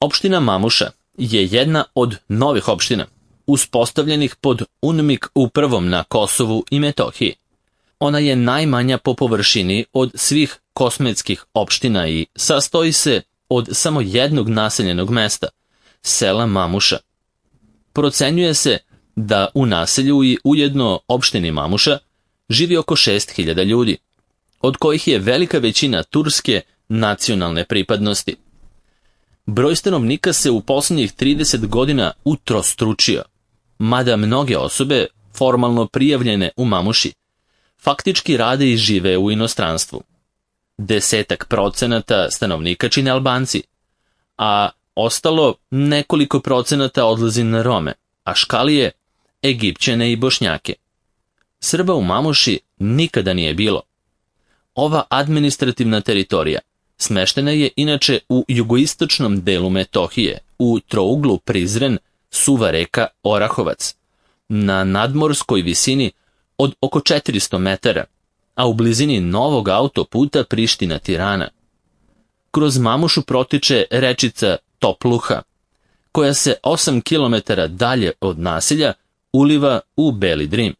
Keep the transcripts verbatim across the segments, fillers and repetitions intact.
Opština Mamuša je jedna od novih opština, uspostavljenih pod UNMIK upravom na Kosovu i Metohiji. Ona je najmanja po površini od svih kosmetskih opština i sastoji se od samo jednog naseljenog mesta, sela Mamuša. Procenjuje se da u naselju i ujedno opštini Mamuša živi oko šest hiljada ljudi, od kojih je velika većina turske nacionalne pripadnosti. Broj stanovnika se u posljednjih trideset godina utrostručio, mada mnoge osobe, formalno prijavljene u Mamuši, faktički rade i žive u inostranstvu. Desetak procenata stanovnika čine Albanci, a ostalo nekoliko procenata odlazi na Rome, Aškalije, Egipćane i Bošnjake. Srba u Mamuši nikada nije bilo. Ova administrativna teritorija smeštena je inače u jugoistočnom delu Metohije, u trouglu Prizren, Suva Reka, Orahovac, na nadmorskoj visini od oko četiristo metara, a u blizini novog autoputa Priština-Tirana. Kroz Mamušu protiče rečica Topluha, koja se osam kilometara dalje od naselja uliva u Beli Drim.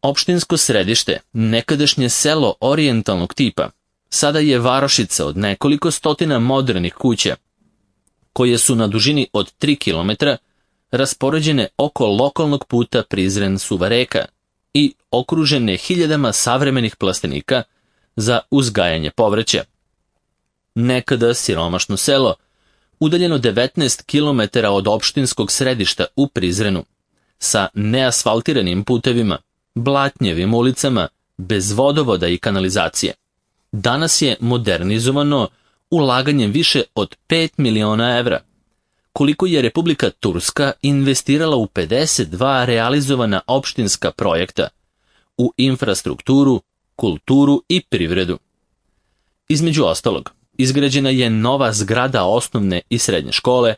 Opštinsko središte, nekadašnje selo orijentalnog tipa, sada je varošica od nekoliko stotina modernih kuća, koje su na dužini od tri kilometra raspoređene oko lokalnog puta Prizren-Suva Reka i okružene hiljadama savremenih plastenika za uzgajanje povrća. Nekada siromašno selo, udaljeno devetnaest kilometara od opštinskog središta u Prizrenu, sa neasfaltiranim putevima, blatnjevim ulicama, bez vodovoda i kanalizacije. Danas je modernizovano ulaganjem više od pet miliona evra, koliko je Republika Turska investirala u pedeset dva realizovana opštinska projekta u infrastrukturu, kulturu i privredu. Između ostalog, izgrađena je nova zgrada osnovne i srednje škole,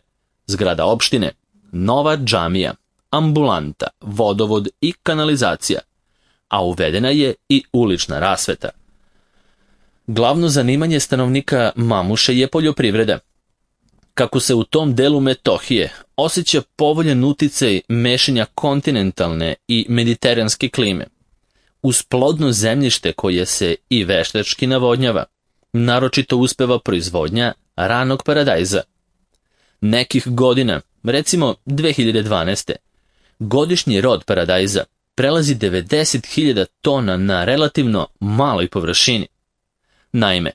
zgrada opštine, nova džamija, ambulanta, vodovod i kanalizacija, a uvedena je i ulična rasveta. Glavno zanimanje stanovnika Mamuše je poljoprivreda. Kako se u tom delu Metohije osjeća povoljan uticaj mešanja kontinentalne i mediteranske klime, uz plodno zemljište koje se i veštački navodnjava, naročito uspeva proizvodnja ranog paradajza. Nekih godina, recimo dve hiljade dvanaeste. godišnji rod paradajza prelazi devedeset hiljada tona na relativno maloj površini. Naime,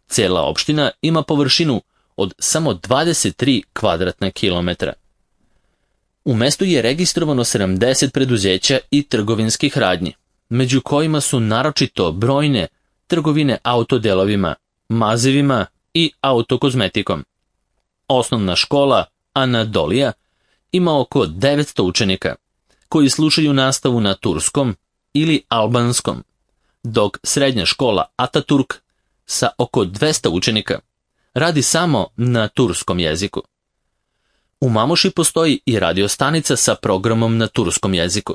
cijela opština ima površinu od samo dvadeset tri kvadratna kilometra. U mestu je registrovano sedamdeset preduzeća i trgovinskih radnji, među kojima su naročito brojne trgovine autodelovima, mazivima i autokozmetikom. Osnovna škola Anadolija ima oko devetsto učenika, koji slušaju nastavu na turskom ili albanskom, dok srednja škola Ataturk sa oko dvesta učenika radi samo na turskom jeziku. U Mamuši postoji i radiostanica sa programom na turskom jeziku.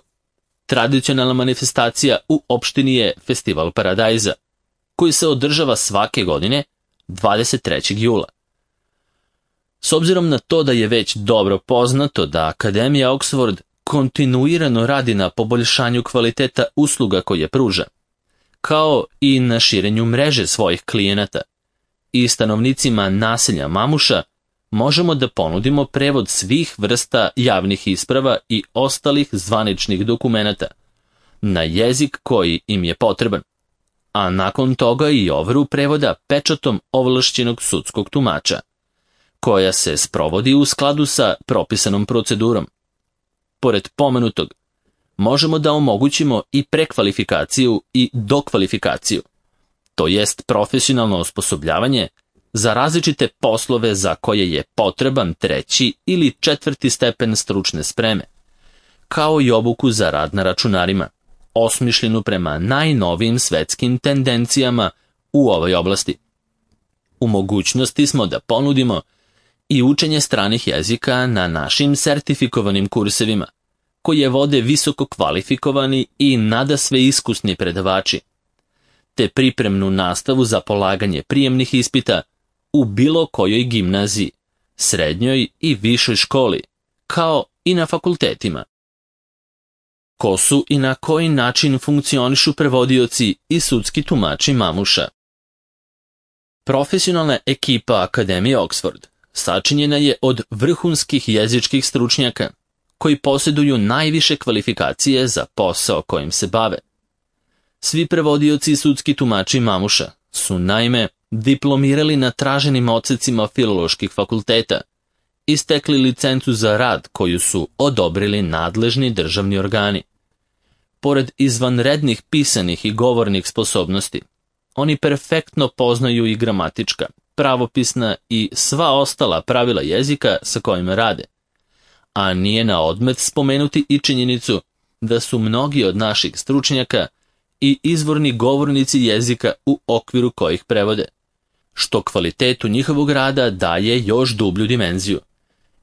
Tradicionalna manifestacija u opštini je Festival paradajza, koji se održava svake godine dvadeset trećeg jula. S obzirom na to da je već dobro poznato da Akademija Oxford kontinuirano radi na poboljšanju kvaliteta usluga koje pruža, kao i na širenju mreže svojih klijenata, i stanovnicima naselja Mamuša možemo da ponudimo prevod svih vrsta javnih isprava i ostalih zvaničnih dokumenata na jezik koji im je potreban, a nakon toga i overu prevoda pečatom ovlašćenog sudskog tumača, koja se sprovodi u skladu sa propisanom procedurom. Pored pomenutog, možemo da omogućimo i prekvalifikaciju i dokvalifikaciju, to jest profesionalno osposobljavanje za različite poslove za koje je potreban treći ili četvrti stepen stručne spreme, kao i obuku za rad na računarima, osmišljenu prema najnovijim svetskim tendencijama u ovoj oblasti. U mogućnosti smo da ponudimo i učenje stranih jezika na našim sertifikovanim kursevima, koje vode visoko kvalifikovani i nadasve iskusni predavači, te pripremnu nastavu za polaganje prijemnih ispita u bilo kojoj gimnaziji, srednjoj i višoj školi, kao i na fakultetima. Ko su i na koji način funkcionišu prevodioci i sudski tumači Mamuša? Profesionalna ekipa Akademije Oxford sačinjena je od vrhunskih jezičkih stručnjaka, koji posjeduju najviše kvalifikacije za posao kojim se bave. Svi prevodioci i sudski tumači Mamuša su naime diplomirali na traženim odsecima filoloških fakulteta i stekli licencu za rad koju su odobrili nadležni državni organi. Pored izvanrednih pisanih i govornih sposobnosti, oni perfektno poznaju i gramatička, pravopisna i sva ostala pravila jezika sa kojima rade. A nije na odmet spomenuti i činjenicu da su mnogi od naših stručnjaka i izvorni govornici jezika u okviru kojih prevode, što kvalitetu njihovog rada daje još dublju dimenziju,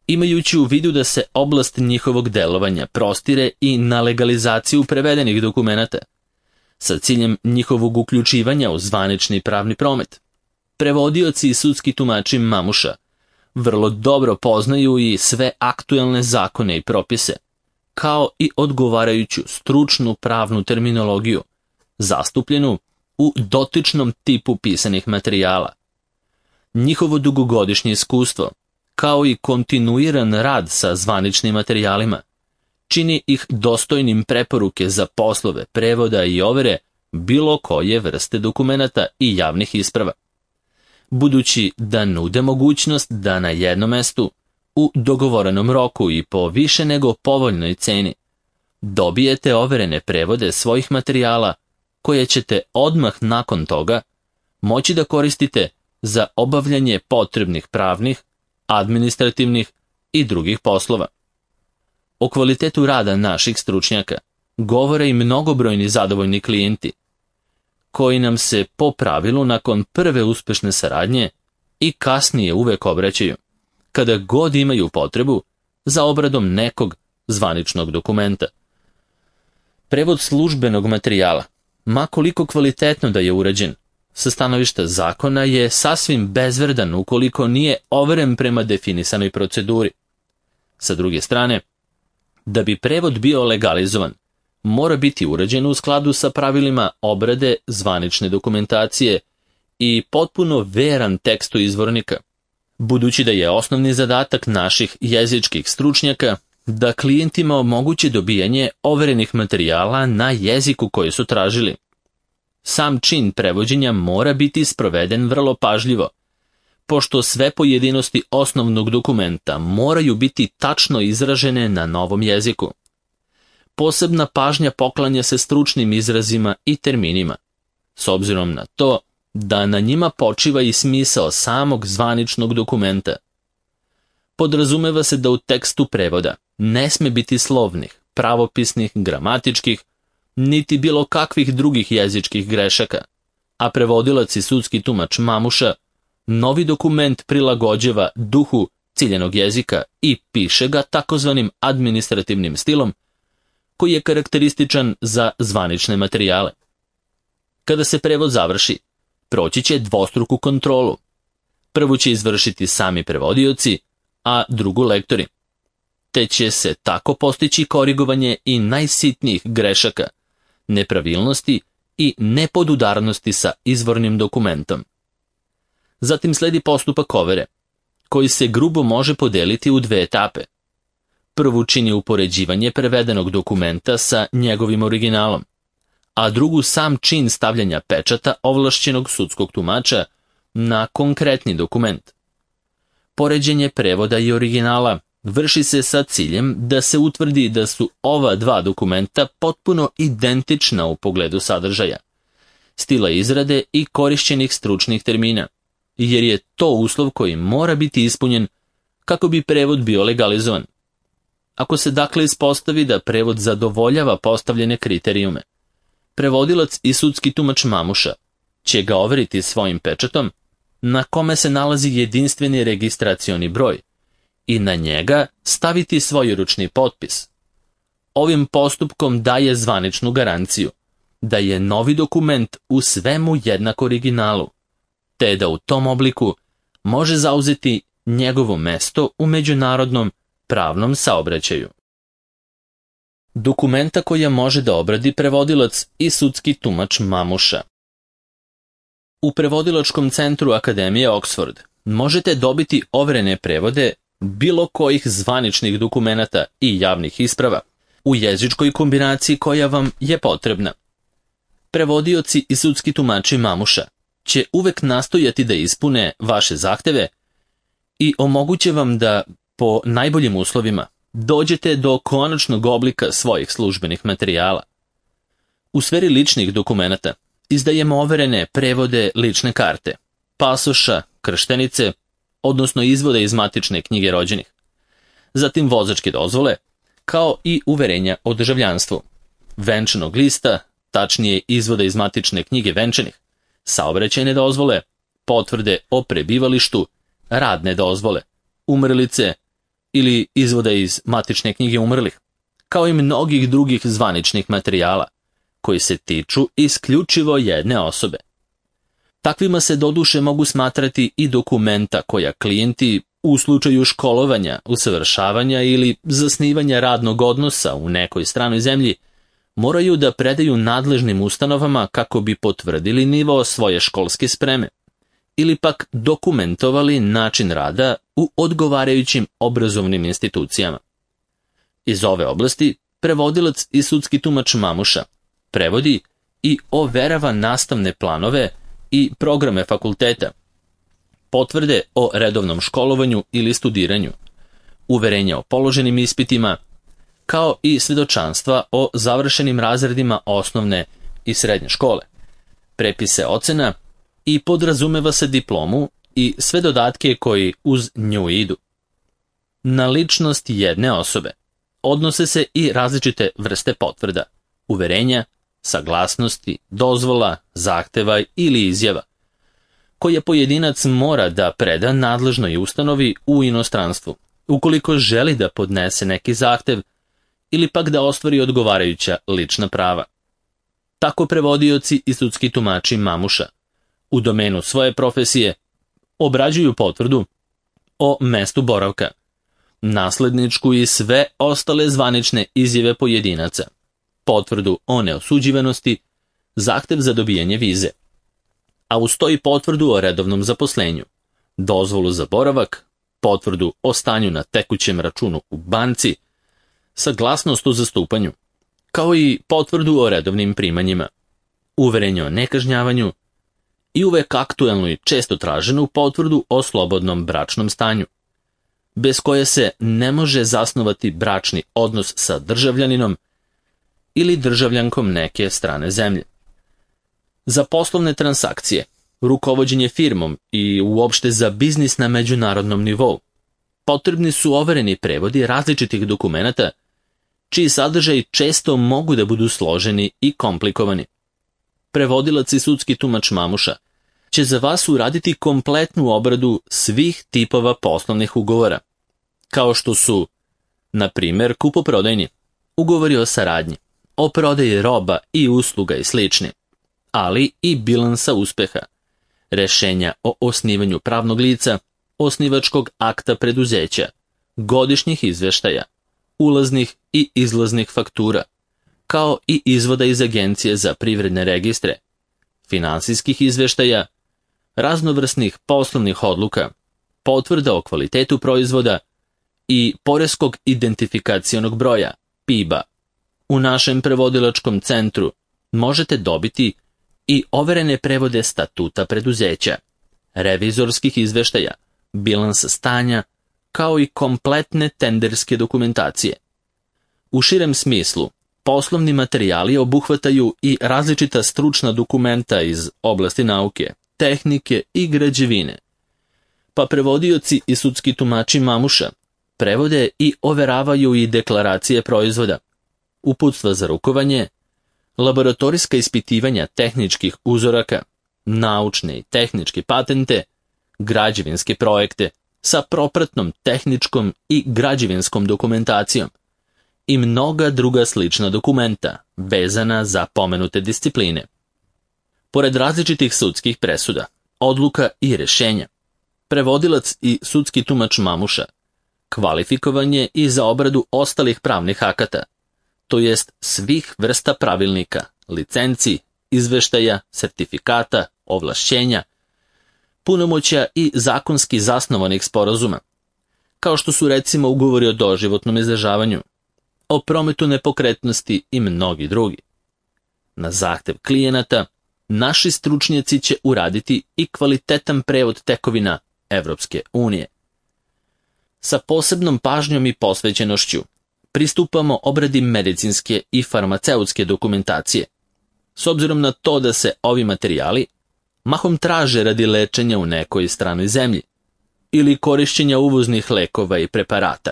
imajući u vidu da se oblast njihovog delovanja prostire i na legalizaciju prevedenih dokumenata, sa ciljem njihovog uključivanja u zvanični pravni promet. Prevodioci i sudski tumači Mamuša vrlo dobro poznaju i sve aktuelne zakone i propise, kao i odgovarajuću stručnu pravnu terminologiju, zastupljenu u dotičnom tipu pisanih materijala. Njihovo dugogodišnje iskustvo, kao i kontinuiran rad sa zvaničnim materijalima, čini ih dostojnim preporuke za poslove prevoda i overe bilo koje vrste dokumenata i javnih isprava, budući da nude mogućnost da na jednom mestu, u dogovorenom roku i po više nego povoljnoj ceni, dobijete overene prevode svojih materijala koje ćete odmah nakon toga moći da koristite za obavljanje potrebnih pravnih, administrativnih i drugih poslova. O kvalitetu rada naših stručnjaka govore i mnogobrojni zadovoljni klijenti, koji nam se po pravilu nakon prve uspešne saradnje i kasnije uvek obraćaju, kada god imaju potrebu za obradom nekog zvaničnog dokumenta. Prevod službenog materijala, ma koliko kvalitetno da je urađen, sa stanovišta zakona je sasvim bezvredan ukoliko nije overen prema definisanoj proceduri. Sa druge strane, da bi prevod bio legalizovan, mora biti urađen u skladu sa pravilima obrade zvanične dokumentacije i potpuno veran tekstu izvornika, budući da je osnovni zadatak naših jezičkih stručnjaka da klijentima omoguće dobijanje overenih materijala na jeziku koji su tražili. Sam čin prevođenja mora biti sproveden vrlo pažljivo, pošto sve pojedinosti osnovnog dokumenta moraju biti tačno izražene na novom jeziku. Posebna pažnja poklanja se stručnim izrazima i terminima, s obzirom na to da na njima počiva i smisao samog zvaničnog dokumenta. Podrazumeva se da u tekstu prevoda ne sme biti slovnih, pravopisnih, gramatičkih, niti bilo kakvih drugih jezičkih grešaka, a prevodilac i sudski tumač Mamuša novi dokument prilagođava duhu ciljenog jezika i piše ga takozvanim administrativnim stilom, koji je karakterističan za zvanične materijale. Kada se prevod završi, proći će dvostruku kontrolu. Prvu će izvršiti sami prevodioci, a drugu lektori. Te će se tako postići korigovanje i najsitnijih grešaka, nepravilnosti i nepodudarnosti sa izvornim dokumentom. Zatim sledi postupak overe, koji se grubo može podeliti u dve etape. Prvu čini upoređivanje prevedenog dokumenta sa njegovim originalom, a drugu sam čin stavljanja pečata ovlašćenog sudskog tumača na konkretni dokument. Poređenje prevoda i originala vrši se sa ciljem da se utvrdi da su ova dva dokumenta potpuno identična u pogledu sadržaja, stila izrade i korišćenih stručnih termina, jer je to uslov koji mora biti ispunjen kako bi prevod bio legalizovan. Ako se dakle ispostavi da prevod zadovoljava postavljene kriterijume, prevodilac i sudski tumač Mamuša će ga overiti svojim pečatom, na kome se nalazi jedinstveni registracioni broj, i na njega staviti svoj ručni potpis. Ovim postupkom daje zvaničnu garanciju da je novi dokument u svemu jednak originalu, te da u tom obliku može zauzeti njegovo mesto u međunarodnom pravnom saobraćaju. Dokumenta koja može da obradi prevodilac i sudski tumač Mamuša. U prevodilačkom centru Akademije Oxford možete dobiti overene prevode bilo kojih zvaničnih dokumenata i javnih isprava u jezičkoj kombinaciji koja vam je potrebna. Prevodioci i sudski tumači Mamuša će uvek nastojati da ispune vaše zahteve i omoguće vam da, po najboljim uslovima, dođete do konačnog oblika svojih službenih materijala. U sferi ličnih dokumenata izdajemo overene prevode lične karte, pasoša, krštenice, odnosno izvode iz matične knjige rođenih, zatim vozačke dozvole, kao i uverenja o državljanstvu, venčanog lista, tačnije izvode iz matične knjige venčanih, saobraćajne dozvole, potvrde o prebivalištu, radne dozvole, umrlice ili izvode iz matične knjige umrlih, kao i mnogih drugih zvaničnih materijala, koji se tiču isključivo jedne osobe. Takvima se doduše mogu smatrati i dokumenta koja klijenti u slučaju školovanja, usavršavanja ili zasnivanja radnog odnosa u nekoj stranoj zemlji moraju da predaju nadležnim ustanovama kako bi potvrdili nivo svoje školske spreme ili pak dokumentovali način rada u odgovarajućim obrazovnim institucijama. Iz ove oblasti prevodilac i sudski tumač Mamuša prevodi i overava nastavne planove i programe fakulteta, potvrde o redovnom školovanju ili studiranju, uverenja o položenim ispitima, kao i svedočanstva o završenim razredima osnovne i srednje škole, prepise ocena i podrazumeva se diplomu i sve dodatke koji uz nju idu. Na ličnost jedne osobe odnose se i različite vrste potvrda, uverenja, saglasnosti, dozvola, zahteva ili izjava, koje pojedinac mora da preda nadležnoj ustanovi u inostranstvu, ukoliko želi da podnese neki zahtev ili pak da ostvari odgovarajuća lična prava. Tako prevodioci i sudski tumači Mamuša u domenu svoje profesije obrađuju potvrdu o mestu boravka, nasledničku i sve ostale zvanične izjave pojedinaca, potvrdu o neosuđivanosti, zahtev za dobijanje vize, a uz to i potvrdu o redovnom zaposlenju, dozvolu za boravak, potvrdu o stanju na tekućem računu u banci, saglasnost o zastupanju, kao i potvrdu o redovnim primanjima, uverenje o nekažnjavanju i uvek aktuelnu i često traženu potvrdu o slobodnom bračnom stanju, bez koje se ne može zasnovati bračni odnos sa državljaninom ili državljankom neke strane zemlje. Za poslovne transakcije, rukovođenje firmom i uopšte za biznis na međunarodnom nivou potrebni su overeni prevodi različitih dokumenata, čiji sadržaj često mogu da budu složeni i komplikovani. Prevodilac i sudski tumač Mamuša će za vas uraditi kompletnu obradu svih tipova poslovnih ugovora, kao što su, na primjer, kupoprodajni, ugovori o saradnji, o prodaji roba i usluga i slični, ali i bilansa uspeha, rešenja o osnivanju pravnog lica, osnivačkog akta preduzeća, godišnjih izveštaja, ulaznih i izlaznih faktura, kao i izvoda iz Agencije za privredne registre, finansijskih izveštaja, raznovrsnih poslovnih odluka, potvrda o kvalitetu proizvoda i poreskog identifikacionog broja, P I B-a. U našem prevodilačkom centru možete dobiti i overene prevode statuta preduzeća, revizorskih izveštaja, bilansa stanja, kao i kompletne tenderske dokumentacije. U širem smislu, poslovni materijali obuhvataju i različita stručna dokumenta iz oblasti nauke, tehnike i građevine, pa prevodioci i sudski tumači Mamuša prevode i overavaju i deklaracije proizvoda, uputstva za rukovanje, laboratorijska ispitivanja tehničkih uzoraka, naučne i tehničke patente, građevinske projekte sa propratnom tehničkom i građevinskom dokumentacijom i mnoga druga slična dokumenta vezana za pomenute discipline. Pored različitih sudskih presuda, odluka i rešenja, prevodilac i sudski tumač Mamuša kvalifikovan je i za obradu ostalih pravnih akata, to jest svih vrsta pravilnika, licenci, izveštaja, sertifikata, ovlašćenja, punomoćja i zakonski zasnovanih sporazuma, kao što su recimo ugovori o doživotnom izdržavanju, o prometu nepokretnosti i mnogi drugi. Na zahtev klijenata, naši stručnjaci će uraditi i kvalitetan prevod tekovina Evropske unije. Sa posebnom pažnjom i posvećenošću pristupamo obradi medicinske i farmaceutske dokumentacije, s obzirom na to da se ovi materijali mahom traže radi lečenja u nekoj stranoj zemlji ili korišćenja uvoznih lekova i preparata.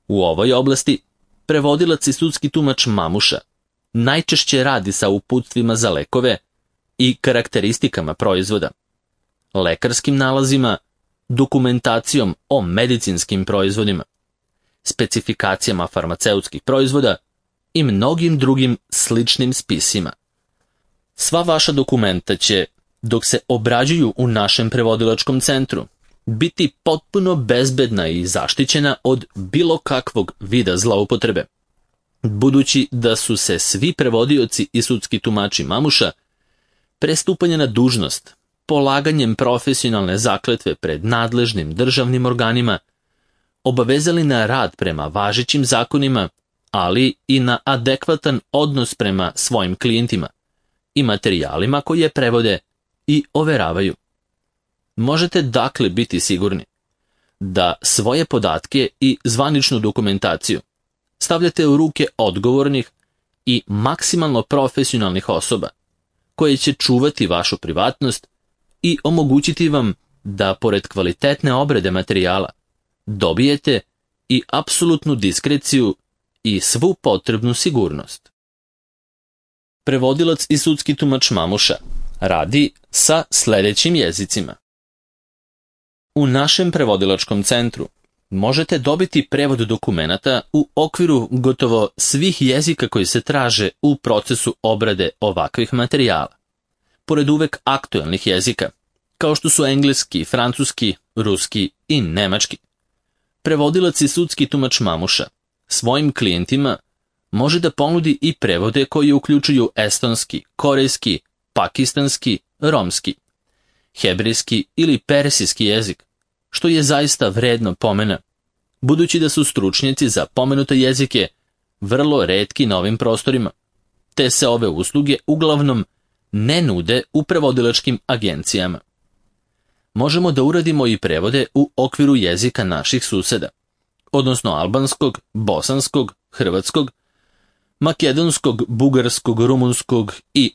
U ovoj oblasti prevodilac i sudski tumač Mamuša najčešće radi sa uputstvima za lekove i karakteristikama proizvoda, lekarskim nalazima, dokumentacijom o medicinskim proizvodima, specifikacijama farmaceutskih proizvoda i mnogim drugim sličnim spisima. Sva vaša dokumenta će, dok se obrađuju u našem prevodilačkom centru, biti potpuno bezbedna i zaštićena od bilo kakvog vida zloupotrebe. Budući da su se svi prevodioci i sudski tumači Mamuša pre stupanja na dužnost, polaganjem profesionalne zakletve pred nadležnim državnim organima, obavezali na rad prema važećim zakonima, ali i na adekvatan odnos prema svojim klijentima i materijalima koje prevode i overavaju. Možete dakle biti sigurni da svoje podatke i zvaničnu dokumentaciju stavljate u ruke odgovornih i maksimalno profesionalnih osoba koje će čuvati vašu privatnost i omogućiti vam da, pored kvalitetne obrade materijala, dobijete i apsolutnu diskreciju i svu potrebnu sigurnost. Prevodilac i sudski tumač Mamuša radi sa sljedećim jezicima. U našem prevodilačkom centru možete dobiti prevod dokumenata u okviru gotovo svih jezika koji se traže u procesu obrade ovakvih materijala, pored uvek aktuelnih jezika, kao što su engleski, francuski, ruski i nemački. Prevodilac i sudski tumač Mamuša svojim klijentima može da ponudi i prevode koji uključuju estonski, korejski, pakistanski, romski, hebrejski ili persijski jezik, što je zaista vredno pomena, budući da su stručnjaci za pomenute jezike vrlo retki na ovim prostorima, te se ove usluge uglavnom ne nude u prevodilačkim agencijama. Možemo da uradimo i prevode u okviru jezika naših suseda, odnosno albanskog, bosanskog, hrvatskog, makedonskog, bugarskog, rumunskog i